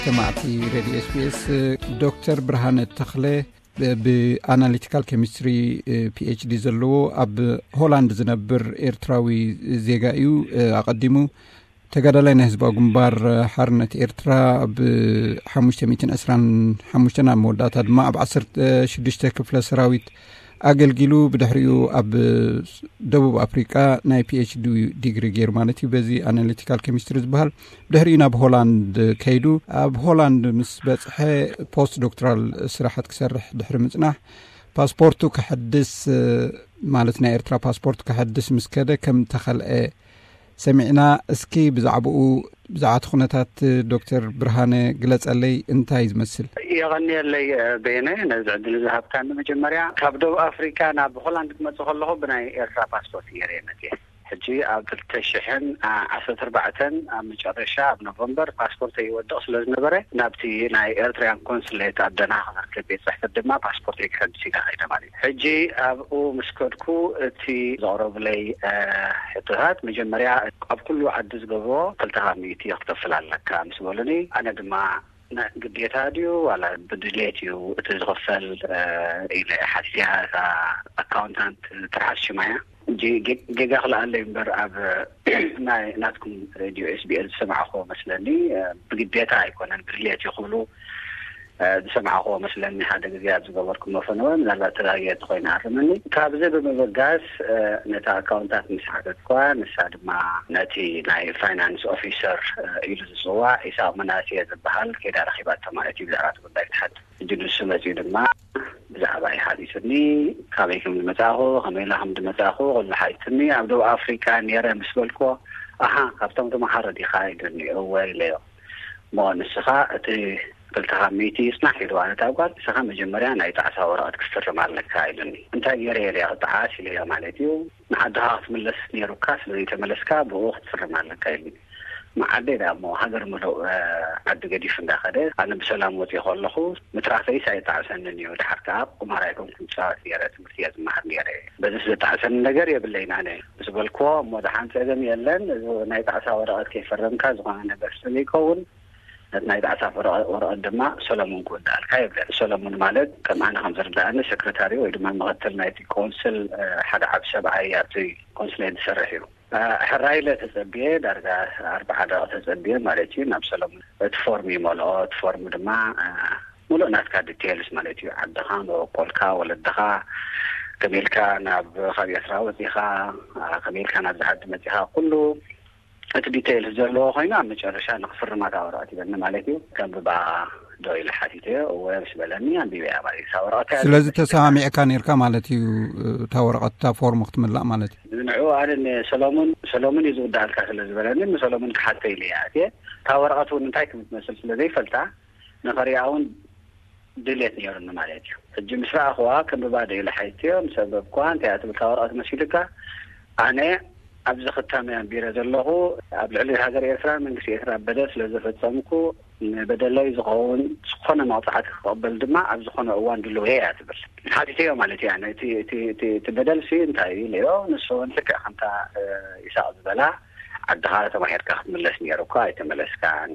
ሰማዕቲ ሬድዮ ኤስቢኤስ፣ ዶክተር ብርሃነ ተኽለ ብኣናሊቲካል ኬሚስትሪ ፒኤችዲ ዘለዎ ኣብ ሆላንድ ዝነብር ኤርትራዊ ዜጋ እዩ። ኣቐዲሙ ተጋዳላይ ናይ ህዝባዊ ግንባር ሓርነት ኤርትራ፣ ብ ሓሙሽተ ሚእትን ዕስራን ሓሙሽተን ኣብ መወዳእታ ድማ ኣብ ዓሰርተ ሽዱሽተ ክፍለ ሰራዊት ኣገልጊሉ፣ ብድሕሪኡ ኣብ ደቡብ ኣፍሪቃ ናይ ፒኤችዲ ዲግሪ ገይሩ ማለት እዩ፣ በዚ ኣናሊቲካል ኬሚስትሪ ዝበሃል። ብድሕሪኡ ናብ ሆላንድ ከይዱ፣ ኣብ ሆላንድ ምስ በጽሐ ፖስት ዶክትራል ስራሓት ክሰርሕ ድሕሪ ምጽናሕ፣ ፓስፖርቱ ከሐድስ፣ ማለት ናይ ኤርትራ ፓስፖርት ከሐድስ ምስ ከደ ከም ተኸልአ ሰሚዕና። እስኪ ብዛዕባኡ፣ ብዛዕባ እቲ ኩነታት ዶክተር ብርሃነ ግለጸለይ፣ እንታይ ዝመስል? የቐንየለይ፣ በየነ፣ ነዚ ዕድል ዝሃብካኒ። መጀመርያ ካብ ደቡብ ኣፍሪካ ናብ ሆላንድ ክመጽእ ከለኹ ብናይ ኤርትራ ፓስፖርት ገይረ እየ መጽየ። ሕጂ ኣብ ክልተ ሽሕን ዓሰርተ ኣርባዕተን ኣብ መጨረሻ ኣብ ኖቨምበር ፓስፖርተይ ይወድቕ ስለ ዝነበረ፣ ናብቲ ናይ ኤርትራያን ኮንስሌት ኣብ ደንሃ ክርከብ ቤት ጽሕፈት ድማ ፓስፖርተይ ክሕድስ ኢለ ከይደ ማለት እዩ። ሕጂ ኣብኡ ምስ ከድኩ እቲ ዘቕረቡለይ፣ እ፣ ሕቶታት፣ መጀመርያ ኣብ ኩሉ ዓዲ ዝገብሮ ክልተ ካብ ሚእቲ ክትከፍል ኣለካ ምስ በሉኒ፣ ኣነ ድማ ና-፣ ግዴታ ድዩ ዋላ ብድሌት እዩ እቲ ዝኽፈል፣ እ፣ ኢለ ሓቲተያ። እታ ኣካውንታንት ትርሓስ ሽማ እያ። ጌ-፣ ጌጋ ክልኣለይ እምበር ኣብ ናይ ናትኩም ሬድዮ ኤስቢኤስ ዝሰማዕኹዎ መስለኒ፣ እ፣ ብግዴታ ኣይኮነን፣ ብድሌት እዩ ክብሉ፣ እ፣ ዝሰማዕኹዎ መስለኒ። ሓደ ግዜ ኣብ ዝገበርኩሞ ፈነወ፣ ምናልባት ተጋግየ እንተኾይነ ኣርመኒ። ካብዚ ብምብጋስ፣ እ፣ ነታ ኣካውንታት ምስ ሓተትኳ፣ ንሳ ድማ ነቲ ናይ ፋይናንስ ኦፊሰር፣ እ፣ ኢሉ ዝጽዋዕ ኢሳቕ መናስየ ዝበሃል ከይዳ ረኺባቶ ማለት እዩ፣ ብዛዕባ እቲ ጉዳይ ክትሓትት። ሕጂ ንሱ መጺኡ ድማ ብዛዕባ ይሓቲትኒ፣ ካበይ ከም ዝመጻእኹ፣ ከመይ ኢለ ከም ዝመጻእኹ ኩሉ ሓቲትኒ። ኣብ ደቡብ ኣፍሪቃ ነይረ ምስ በልኩዎ፣ ኣሃ፣ ካብቶም ተመሃሮ ዲኻ ኢሉኒ። እወ ኢለዮ። እሞ ንስኻ እቲ ክልተ ካብ ሚእቲ ይጽናሕ ኢልዋ ነታ ጓል፣ ንስኻ መጀመርያ ናይ ጣዕሳ ወረቐት ክትፍርም ኣለካ ኢሉኒ። እንታይ ገይረ እየ ክጠዓስ ኢለዮ ማለት እዩ። ንዓድኻ ክትምለስ ነይሩካ፣ ስለ ዘይተመለስካ ብኡ ክትፍርም ኣለካ ኢሉኒ። መዓደይ ደኣ እሞ ሃገር ምሉእ፣ እ፣ ዓዲ ገዲፉ እንዳኸደ፣ ኣነ ብሰላም ወፂእ ከለኹ ምትራፈይስ ኣይጣዕሰንን እዩ። ድሓር ከኣ ቁማር ኣይኮንኩን ፃወት ነይረ፣ ትምህርቲ እየ ዝመሃር ነይረ። በዚስ ዘጣዕሰኒ ነገር የብለይን ኣነ ምስ በልክዎ፣ እሞ ደሓን ፀገም የለን፣ እዚ ናይ ጣዕሳ ወረቐት ከይፈረምካ ዝኾነ ነገር ስለ ዘይከውን፣ ነቲ ናይ ጣዕሳ ወረቐ-፣ ወረቐት ድማ ሰሎሙን ክውድኣልካ ይብለኒ። ሰሎሙን ማለት ከም ኣነ ከም ዝርድኣኒ ሰክረታሪ ወይ ድማ ምኽትል ናይቲ ኮንስል፣ እ፣ ሓደ ዓቢ ሰብኣይ ኣብቲ ኮንስሌት ዝሰርሕ እዩ። እ፣ ሕራይ ኢለ ተጸብየ፣ ዳርጋ ኣርብዓ ደቂቕ ተጸብየ ማለት እዩ። ናብ ሰሎሙን እቲ ፎርም ይመልኦ። እቲ ፎርም ድማ፣ እ፣ ሙሉእ ናትካ ዲቴይልስ ማለት እዩ። ዓድኻ፣ መበቆልካ፣ ወለድኻ፣ ከመይ ኢልካ ናብ፣ ካብ ኤርትራ ወጺኻ፣ እ፣ ከመይ ኢልካ ናብዚ ዓዲ መጺኻ፣ ኩሉ እቲ ዲቴይልስ ዘለዎ ኮይኑ ኣብ መጨረሻ ንኽፍርማ እታ ወረቐት ይበኒ ማለት እዩ። ከንብባ ዶ ኢለ ሓቲተዮ፣ እወ ምስ በለኒ ኣንቢበያ ማለት እዩ። እታ ወረቐት እያ ስለዚ ዘመልክታ። ተሰማሚዕካ ነይርካ ማለት እዩ፣ እታ ወረቐት፣ እታ ፎርም ክትምላእ ማለት እዩ። ንዕኡ ኣነ ንሰሎሙን፣ ሰሎሙን እዩ ዝውድኣልካ ስለ ዝበለኒ ንሰሎሙን ክሓቶ ኢለ እያ ኣትየ። እታ ወረቐት እውን እንታይ ከም ትመስል ስለ ዘይፈልጣ ንኸሪኣ እውን ድሌት ነይሩኒ ማለት እዩ። ሕጂ ምስ ረኣኽዋ ከንብባ ዶ ኢለ ሓቲተዮ፣ ምስ ኣንበብክዋ እንታይ እያ ትብል እታ ወረቐት መሲልካ? ኣነ ኣብዚ ክታመ ኣንቢረ ዘለኹ ኣብ ልዕሊ ሃገር ኤርትራን መንግስቲ ኤርትራ በደል ስለ ዝፈጸምኩ ንበደለይ ዝኸውን ዝኾነ መቕጻዕቲ ክቕበል ድማ ኣብ ዝኾነ እዋን ድልው እየ እያ ትብል። ሓቲተዮ ማለት እያ፣ ነቲ፣ እቲ፣ እቲ፣ እቲ በደልሲ እንታይ እዩ ኢለዮ። ንሱ እውን ልክዕ ከምታ፣ እ፣ ይስሐቅ ዝበላ፣ ዓድኻ ተማሂርካ ክትምለስ ነይሩካ፣ ኣይተመለስካን።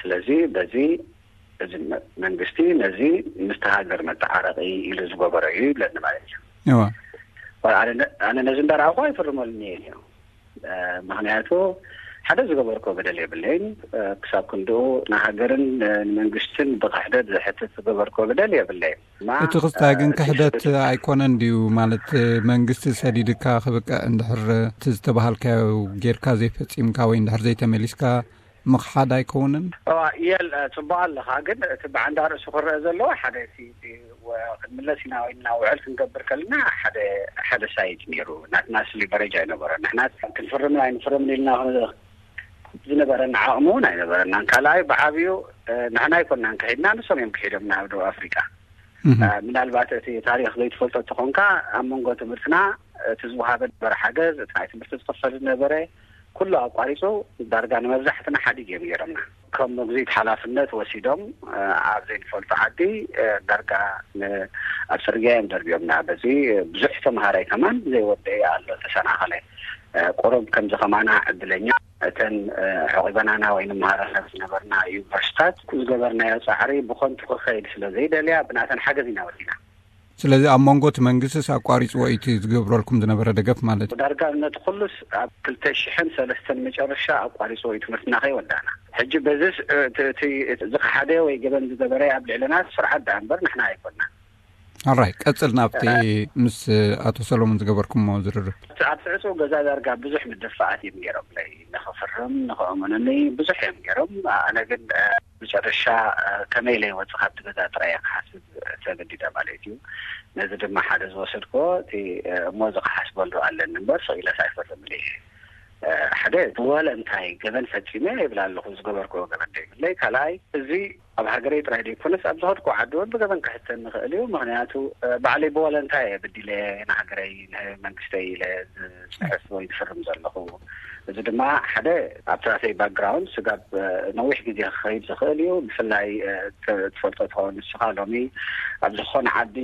ስለዚ በዚ እዚ መ-፣ መንግስቲ ነዚ ምስቲ ሃገር መተዓረቂ ኢሉ ዝገበሮ እዩ ይብለኒ ማለት እዩ። እዋ። ኣነ ነ-፣ ኣነ ነዚ እንዳረኣኹ ኣይፍርመሉን እየ ኢለዮ። እ፣ ምኽንያቱ ሓደ ዝገበርኮ በደል የብለይን። እ፣ ክሳብ ክንድኡ ንሃገርን፣ እ፣ ንመንግስትን ብክሕደት ዝሕትት ዝገበርኮ በደል የብለይን። እማ፣ እቲ ክስታይ ግን እ፣ እቲ ክሕደት ሕደት ኣይኮነን ድዩ? ማለት፣ እ፣ መንግስቲ ሰዲድካ ክብቅዕ እንድሕር እቲ ዝተባሃልካዮ ጌርካ ዘይፈጺምካ ወይ እንድሕር ዘይተመሊስካ ምኽሓድ ኣይከውንን? እዋ፣ የል-፣ እ፣ ጽቡቕ ኣለኻ። ግን እቲ ብዓንዳ ርእሱ ክረአ ዘለዎ ሓደ እቲ፣ እቲ ወ-፣ ክንምለስ ኢና ወይ ናብ ውዕል ክንገብር ከለና ሓደ፣ ሓደ ሳይድ ነይሩ። ናትና ስ ሊቨሬጅ ኣይነበረን። ንሕና ክንፍርምን ኣይንፍርምን ኢልና ዝነበረና ዓቕሚ እውን ኣይነበረናን። ካልኣይ ብዓብዩ፣ እ፣ ንሕና ኣይኮናን ክሒድና፣ ንሶም እዮም ክሒዶምና ኣብ ደቡብ ኣፍሪቃ። እህ። እ፣ ምናልባት እቲ ታሪኽ ዘይትፈልጦ እንተኾንካ፣ ኣብ መንጎ ትምህርትና እቲ ዝወሃበ ነበረ ሓገዝ፣ እቲ ናይ ትምህርቲ ዝኽፈል ዝነበረ ኩሉ ኣቋሪጹ፣ ዳርጋ ንመብዛሕትና ሓዲግ እዮም ገይሮምና። ከም መጉዚት ሓላፍነት ወሲዶም፣ እ፣ ኣብ ዘይንፈልጦ ዓዲ፣ እ፣ ዳርጋ ን-፣ ኣብ ጽርግያ እዮም ደርብዮምና። በዚ ብዙሕ ተምሃራይ ከማን ዘይወደየ ኣሎ፣ ተሰናኸለ። እ፣ ቁሩብ ከምዚ ከማና ዕድለኛ እተን ዕቂበናና ወይ ንመሃረና ዝነበርና ዩኒቨርሲታት ዝገበርናዮ ፃዕሪ ብኾንቱ ክኸይድ ስለ ዘይደልያ ብናተን ሓገዝ ኢና ወዲና። ስለዚ ኣብ መንጎ እቲ መንግስቲስ ኣቋሪፅዎ እዩ እቲ ዝገብረልኩም ዝነበረ ደገፍ ማለት እዩ? ዳርጋ ነቲ ኩሉስ ኣብ ክልተ ሽሕን ሰለስተን መጨረሻ ኣቋሪፅዎ እዩ ትምህርትና ከይወዳእና። ሕጂ በዚስ እቲ ዝኸሓደ ወይ ገበን ዝገበረ ኣብ ልዕልና ስርዓት ደኣ እምበር ንሕና ኣይኮንና። ኣራይ ቀፅል ናብቲ ምስ ኣቶ ሰሎሞን ዝገበርኩሞ ዝርርብ። ኣብ ትዕፁ ገዛ ዳርጋ ብዙሕ ምድፋኣት እዮም ገይሮምለይ። ንኽፍርም ንኽእምኑኒ ብዙሕ እዮም ገይሮም። ኣነ ግን መጨረሻ ከመይ ኢለ ይወፅእ ካብቲ ገዛ ጥራይ እየ ክሓስብ ተገዲደ ማለት እዩ። ነዚ ድማ ሓደ ዝወሰድኩዎ እቲ እሞ እዚ ክሓስበሉ ኣለኒ እምበር ስቕ ኢለስ ኣይፈርምን እየ። ሓደ ብወለንታይ ገበን ፈፂመ ይብል ኣለኹ። ዝገበርኩዎ ገበን ዘይብለይ። ካልኣይ እዚ ኣብ ሃገረይ ጥራይ ዘይኮነስ ኣብ ዝኸድኩ ዓዲ እውን ብገበን ክሕተን ንኽእል እዩ። ምኽንያቱ ባዕለይ ብወለንታይ እየ ብዲለ ንሃገረይ ንመንግስተይ ኢለ ዝፅሕፍ ወይ ዝፍርም ዘለኹ። እዚ ድማ ሓደ ኣብቲ ናተይ ባክግራውንድ ስጋብ ነዊሕ ግዜ ክኸይድ ዝኽእል እዩ። ብፍላይ ትፈልጦ ትኸውን ንስኻ ሎሚ ኣብ ዝኾነ ዓዲ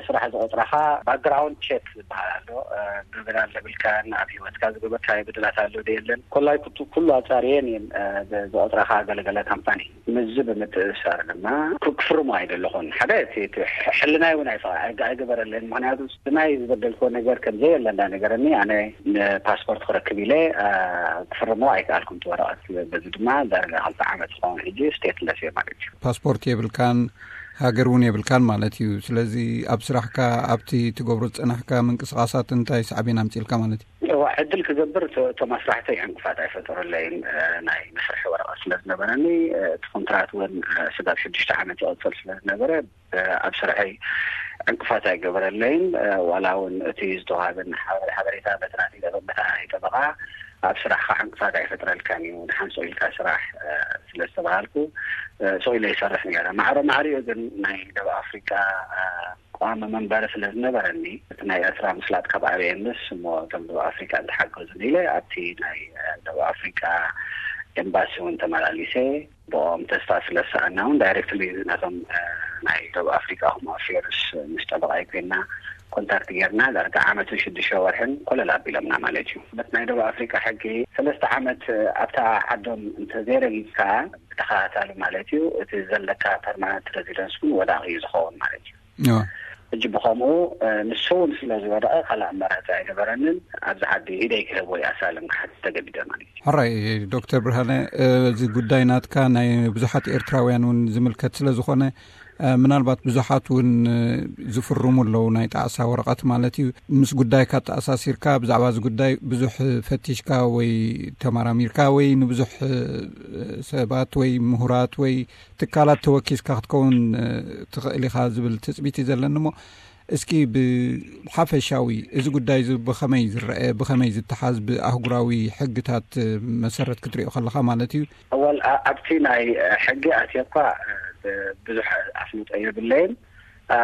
ስራሕ ዝቆፅራኻ ባክግራውንድ ቼክ ዝበሃል ኣሎ። ገበን ኣለብልካን ኣብ ሂወትካ ዝገበርካዮ በደላት ኣሎ ዶ የለን ኮላይ ኩቱ ኩሉ ኣፃርየን እየን ዝቆፅራኻ ገለገለ ካምፓኒ። ምስዚ ብምትእሳር ድማ ክፍርሞ ኣይደለኹን። ሓደ ሕልናይ እውን ኣይገበረለን። ምክንያቱ ናይ ዝበደልክዎ ነገር ከም ዘየለ እንዳነገረኒ ኣነ ንፓስፖርት ክረክብ ኢለ ክፍርሞ ኣይከኣልኩን እቲ ወረቐት። በዚ ድማ ዳርጋ ክልተ ዓመት ዝኸውን ሕጂ ስቴትለስ እየ ማለት እዩ። ፓስፖርት የብልካን፣ ሃገር እውን የብልካን ማለት እዩ። ስለዚ ኣብ ስራሕካ ኣብቲ ትገብሮ ዝፀናሕካ ምንቅስቃሳት እንታይ ሳዕቤን ኣምፅልካ ማለት እዩ? እዋ ዕድል ክገብር እቶም ኣስራሕተይ ዕንቅፋት ኣይፈጠረለይን። ናይ መስርሒ ወረቐት ስለ ዝነበረኒ እቲ ኮንትራት እውን ስጋብ ሽዱሽተ ዓመት ይቐፅል ስለ ዝነበረ ኣብ ስርሐይ ዕንቅፋት ኣይገበረለይን። ዋላ እውን እቲ ዝተዋሃበኒ ሓበሬታ በቲ ናተይ ጠበቃ ኣብ ስራሕካ ዕንቅፋት ኣይፈጥረልካን እዩ፣ ንሓንሶ ኢልካ ስራሕ ስለ ዝተባሃልኩ ስቕ ኢለ ይሰርሕ ነረ። ማዕረ ማዕሪኡ ግን ናይ ደቡብ ኣፍሪቃ ቋሚ መንበሪ ስለ ዝነበረኒ እቲ ናይ ኤርትራ ምስላጥ ካብ ኣበየንስ እሞ እቶም ደቡብ ኣፍሪቃ እንተሓገዙ ኢለ ኣብቲ ናይ ደቡብ ኣፍሪቃ ኤምባሲ እውን ተመላሊሰ። ብኦም ተስፋ ስለ ዝሰኣና እውን ዳይሬክትሊ ናቶም ናይ ደቡብ ኣፍሪቃ ሆም ኣፌርስ ምስ ጠበቃይ ኮይና ኮንታክት ጌርና ዳርጋ ዓመትን ሽዱሽተ ወርሕን ኮለል ኣቢሎምና ማለት እዩ። በቲ ናይ ደቡብ ኣፍሪቃ ሕጊ ሰለስተ ዓመት ኣብታ ዓዶም እንተዘይረጊፅካ ብተኸታታሊ ማለት እዩ እቲ ዘለካ ፐርማነንት ሬዚደንስ እውን ወዳቂ እዩ ዝኸውን ማለት እዩ። ሕጂ ብኸምኡ ንሱ እውን ስለ ዝወደቐ ካልእ ኣማራፂ ኣይነበረንን። ኣብዚ ዓዲ ኢደይ ክህብ ወይ ኣሳልም ክሓት ተገዲደ ማለት እዩ። ሕራይ ዶክተር ብርሃነ፣ እዚ ጉዳይ ናትካ ናይ ብዙሓት ኤርትራውያን እውን ዝምልከት ስለ ዝኾነ ምናልባት ብዙሓት እውን ዝፍርሙ ኣለዉ ናይ ጣዕሳ ወረቐት ማለት እዩ። ምስ ጉዳይካ ተኣሳሲርካ ብዛዕባ እዚ ጉዳይ ብዙሕ ፈቲሽካ ወይ ተመራሚርካ ወይ ንብዙሕ ሰባት ወይ ምሁራት ወይ ትካላት ተወኪስካ ክትከውን ትኽእል ኢኻ ዝብል ትፅቢት እዩ ዘለኒ። እሞ እስኪ ብሓፈሻዊ እዚ ጉዳይ እዚ ብኸመይ ዝረአ፣ ብኸመይ ዝተሓዝ፣ ብኣህጉራዊ ሕግታት መሰረት ክትሪኦ ከለኻ ማለት እዩ? ኣወል ኣብቲ ናይ ሕጊ ኣትየ እኳ ብዙሕ ኣፍልጦ የብለይን።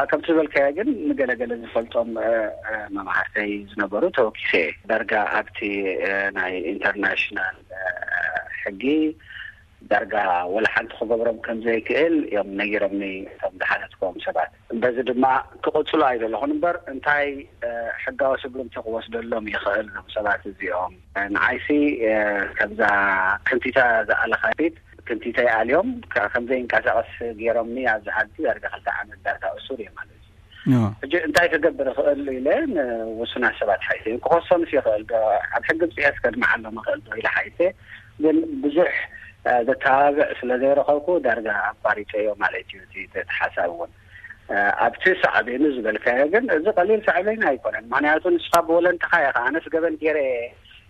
ከምቲ ዝበልካዮ ግን ንገለገለ ዝፈልጦም መማህርተይ ዝነበሩ ተወኪሰ ዳርጋ ኣብቲ ናይ ኢንተርናሽናል ሕጊ ዳርጋ ወላ ሓንቲ ክገብሮም ከም ዘይክእል እዮም ነጊሮምኒ እቶም ዝሓተትክዎም ሰባት። በዚ ድማ ክቕፅሉ ኣይደለኹን እምበር እንታይ ሕጋዊ ስጉምቲ ክወስደሎም ይኽእል እዞም ሰባት እዚኦም? ንዓይሲ ከምዛ ክንቲታ ዝኣለኻ ፊት ክንቲተይ ኣልዮም ከም ዘይንቀሳቐስ ገይሮምኒ ኣብዚ ዓዲ ዳርጋ ክልተ ዓመት ዳርጋ እሱር እየ ማለት እዩ። ሕጂ እንታይ ክገብር እኽእል ኢለ ንውሱናት ሰባት ሓይሰ ክኸሶምስ ይኽእል ዶ? ኣብ ሕጊ ብፅሒት ከድምዓሎም እኽእል ዶ ኢለ ሓይሰ ግን ብዙሕ ዘተባብዕ ስለ ዘይረኸብኩ ዳርጋ ኣቋሪፀዮ ማለት እዩ። እቲ ሓሳብ እውን ኣብቲ ሳዕቤኑ ዝበልካዮ ግን እዚ ቀሊል ሳዕቤን ኣይኮነን። ምክንያቱ ንስኻ ብወለንትኻ ኢኻ ኣነስ ገበን ገይረ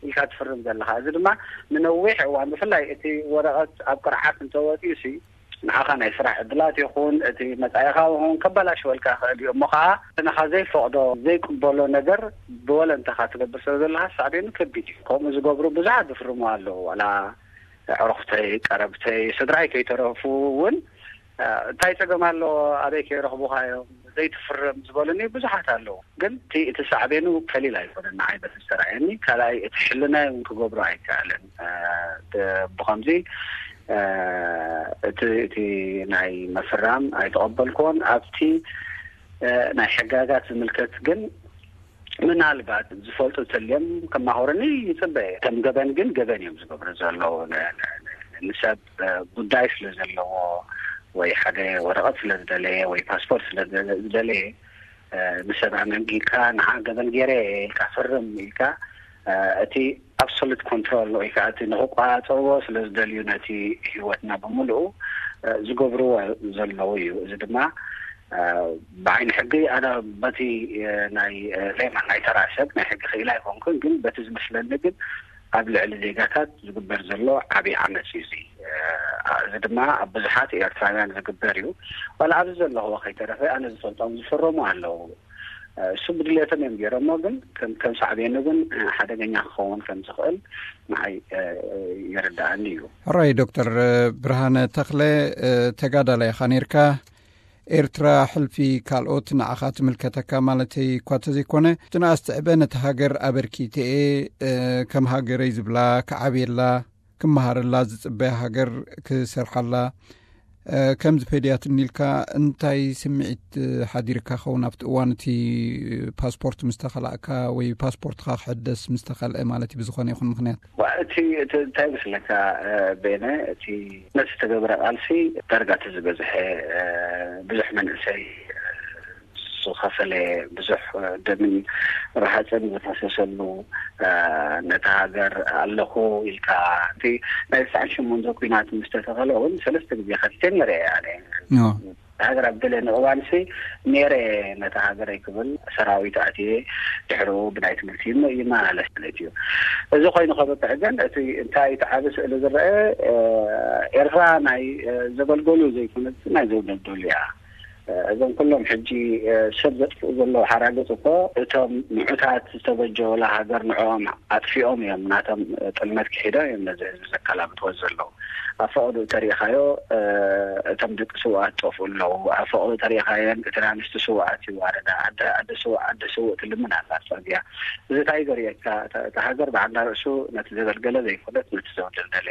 ኢልካ ትፍርም ዘለኻ። እዚ ድማ ንነዊሕ እዋን ብፍላይ እቲ ወረቐት ኣብ ቅርዓት እንተወፂኡ ሲ ንዓኻ ናይ ስራሕ ዕድላት ይኹን እቲ መጻኢኻ እውን ከባላሽወልካ ይኽእል እዩ። እሞ ኸዓ ንኻ ዘይፈቕዶ ዘይቅበሎ ነገር ብወለንታኻ ትገብር ስለ ዘለኻ ሳዕቤኑ ከቢድ እዩ። ከምኡ ዝገብሩ ብዙሓት ዝፍርሙ ኣለዉ። ዋላ ኣዕሩኽተይ፣ ቀረብተይ፣ ስድራይ ከይተረፉ እውን እንታይ ጸገም ኣሎ ኣበይ ከይረኽቡኻ እዮም ዘይትፍርም ዝበሉኒ ብዙሓት ኣለዉ። ግን እቲ እቲ ሳዕቤኑ ቀሊል ኣይኮነን ንዓይ በቲ ዝተረኣየኒ። ካልኣይ እቲ ሕልናይ እውን ክገብሮ ኣይከኣለን። ብኸምዚ እቲ እቲ ናይ ምፍራም ኣይተቐበልኩዎን። ኣብቲ ናይ ሕጋጋት ዝምልከት ግን ምናልባት ዝፈልጡ ተልዮም ከማኸሩኒ ይጽበ። ከም ገበን ግን ገበን እዮም ዝገብሩ ዘለዉ። ንሰብ ጉዳይ ስለ ዘለዎ ወይ ሓደ ወረቐት ስለ ዝደለየ ወይ ፓስፖርት ስለ ዝደለየ፣ ንሰብ ኣመንጊካ ንዓ ገበን ገይረ ኢልካ ፍርም ኢልካ፣ እቲ ኣብሶሉት ኮንትሮል ወይ ከዓ እቲ ንክቋፀርዎ ስለ ዝደልዩ ነቲ ህይወትና ብምልኡ ዝገብርዎ ዘለዉ እዩ። እዚ ድማ ብዓይኒ ሕጊ ኣነ በቲ ናይ ሌማን ናይ ተራ ሰብ ናይ ሕጊ ክኢላ ኣይኮንኩን፣ ግን በቲ ዝመስለኒ ግን ኣብ ልዕሊ ዜጋታት ዝግበር ዘሎ ዓብዪ ዓመፅ እዩ። እዚ እዚ ድማ ኣብ ብዙሓት ኤርትራውያን ዝግበር እዩ። ዋላ ኣብዚ ዘለኽዎ ከይተረፈ ኣነ ዝፈልጦም ዝፈረሙ ኣለዉ። እሱ ብድሌቶም እዮም ገይሮሞ፣ ግን ከም ሳዕቤኑ ግን ሓደገኛ ክኸውን ከም ዝኽእል ንዓይ ይርዳኣኒ እዩ። ሕራይ ዶክተር ብርሃነ ተኽለ፣ ተጋዳላይ ኢኻ ነርካ። ኤርትራ ሕልፊ ካልኦት ንዓኻ ትምልከተካ ማለተይ እኳ ተዘይኮነ፣ እቲ ንኣስ ትዕበ ነቲ ሃገር ኣበርኪተኤ፣ ከም ሃገረይ ዝብላ ክዓብየላ ክመሃረላ ዝጽበያ ሃገር ክሰርሓላ ከም ዝፈድያትኒ ኢልካ እንታይ ስምዒት ሓዲርካ ኸውን ኣብቲ እዋን እቲ ፓስፖርት ምስ ተኸላእካ ወይ ፓስፖርትኻ ክሕደስ ምስ ተኸልአ ማለት እዩ ብዝኾነ ይኹን ምኽንያት? ዋ፣ እቲ እቲ እንታይ ይመስለካ ቤነ፣ እቲ ነቲ ዝተገብረ ቃልሲ ዳርጋ እቲ ዝበዝሐ ብዙሕ መንእሰይ ዝኸፈለ ብዙሕ ደምን ረሃፅን ዝፈሰሰሉ ነታ ሃገር ኣለኹ ኢልካ እቲ ናይ ትስዓን ሸሞንተ ኩናት ምስ ተተኸለ እውን ሰለስተ ግዜ ከቲተ ነረ ኣነ። ሃገር ኣብ ገለ ንእዋንሲ ነረ ነታ ሃገረይ ክብል ሰራዊት ኣትየ ድሕሩ ብናይ ትምህርቲ ይመላለስ ማለት እዩ። እዚ ኮይኑ ከበቅዕ ግን እቲ እንታይ እቲ ዓቢ ስእሊ ዝረአ ኤርትራ ናይ ዘገልገሉ ዘይኮነት ናይ ዘውደልደሉ እያ። እዞም ኩሎም ሕጂ ሰብ ዘጥፍኡ ዘለዉ ሓራግፅ እኮ እቶም ንዑታት ዝተበጀወላ ሃገር ንዕኦም ኣጥፊኦም እዮም ናቶም ጥልመት ክሒዶም እዮም ነዚ ህዝቢ ዘከላብትዎ ዘለዉ። ኣብ ፈቐድኡ ተሪኢኻዮ እቶም ደቂ ስውኣት ጠፍኡ ኣለዉ። ኣብ ፈቐድኡ ተሪኢኻየን እቲ ኣንስቲ ስውኣት ይዋረዳ። ኣደ ኣደ ስውእ ኣደ ስውእ ትልምን ኣላ ኣብ ፅርግያ። እዚ እንታይ ዘርእየካ እታ ሃገር ብዓንዳ ርእሱ ነቲ ዘገልገለ ዘይኮነት ነቲ ዘውደልደለ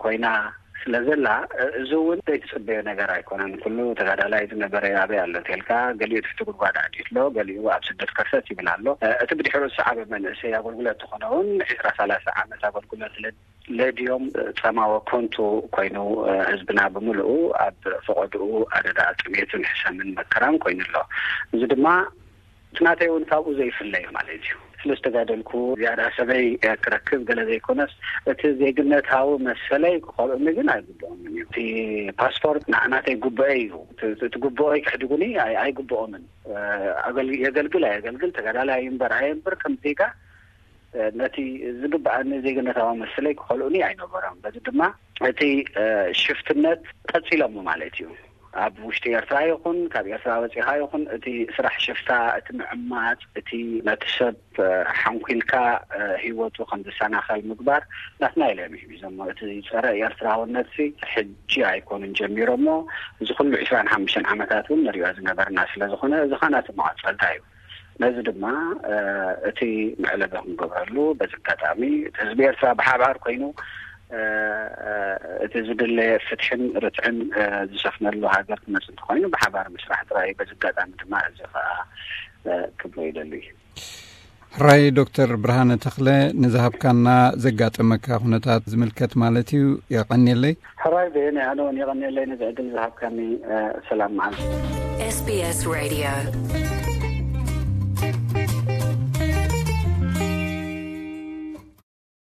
ኮይና ስለ ዘላ እዚ እውን ዘይትፅበዮ ነገር ኣይኮነን። ኩሉ ተጋዳላይ ዝነበረ ኣበይ ኣሎ ተልካ ገሊኡ ትሕቲ ጉድጓድ ኣዲት ኣሎ፣ ገሊኡ ኣብ ስደት ከርተት ይብል ኣሎ። እቲ ብድሕሩ ዝሰዓበ መንእሰይ ኣገልግሎት ዝኾነ እውን ዕስራ ሰላሳ ዓመት ኣገልግሎት ለድዮም ጸማወ ኮንቱ ኮይኑ ህዝብና ብምልኡ ኣብ ፈቐድኡ ኣደዳ ጥሜትን ሕሰምን መከራን ኮይኑ ኣሎ። እዚ ድማ እቲ ናተይ እውን ካብኡ ዘይፍለዩ ማለት እዩ። ስለ ዝተጋደልኩ ዝያዳ ሰበይ ክረክብ ገለ ዘይኮነስ እቲ ዜግነታዊ መሰለይ ክኸልኡኒ ግን ኣይግብኦምን እዩ። እቲ ፓስፖርት ናተይ ጉብአ እዩ። እቲ ጉብኦይ ክሕድጉኒ ኣይግብኦምን። የገልግል ኣየገልግል ተጋዳላይ እምበር ኣየንብር ከም ዜጋ ነቲ ዝግብኣኒ ዜግነታዊ መሰለይ ክኸልኡኒ ኣይነበሮም። በዚ ድማ እቲ ሽፍትነት ቀፂሎሞ ማለት እዩ። ኣብ ውሽጢ ኤርትራ ይኹን ካብ ኤርትራ ወፂኻ ይኹን እቲ ስራሕ ሽፍታ፣ እቲ ምዕማፅ፣ እቲ ነቲ ሰብ ሓንኩልካ ህይወቱ ከም ዝሰናኸል ምግባር ናትና ኢሎም እዮም ሒዞሞ። እቲ ፀረ ኤርትራውነት ሕጂ ኣይኮኑን ጀሚሮሞ። እዚ ኩሉ ዕስራን ሓሙሽተን ዓመታት እውን ንሪኦ ዝነበርና ስለ ዝኾነ እዚ ኸዓ ናቲ መቐፀልታ እዩ። ነዚ ድማ እቲ መዕለቢ ክንገብረሉ በዚ ኣጋጣሚ እቲ ህዝቢ ኤርትራ ብሓባር ኮይኑ እቲ ዝድለ ፍትሕን ርትዕን ዝሰፍነሉ ሃገር ክመፅ እንተኮይኑ ብሓባር ምስራሕ ጥራይ። በዚ ኣጋጣሚ ድማ እዚ ከዓ ክብሎ ይደሊ። ሕራይ ዶክተር ብርሃነ ተኽለ፣ ንዝሃብካና ዘጋጠመካ ኩነታት ዝምልከት ማለት እዩ የቐንየለይ። ሕራይ ብየነ ኣነ እውን የቐንየለይ ነዚ ዕድል ዝሃብካኒ። ሰላም መዓልቲ። SBS Radio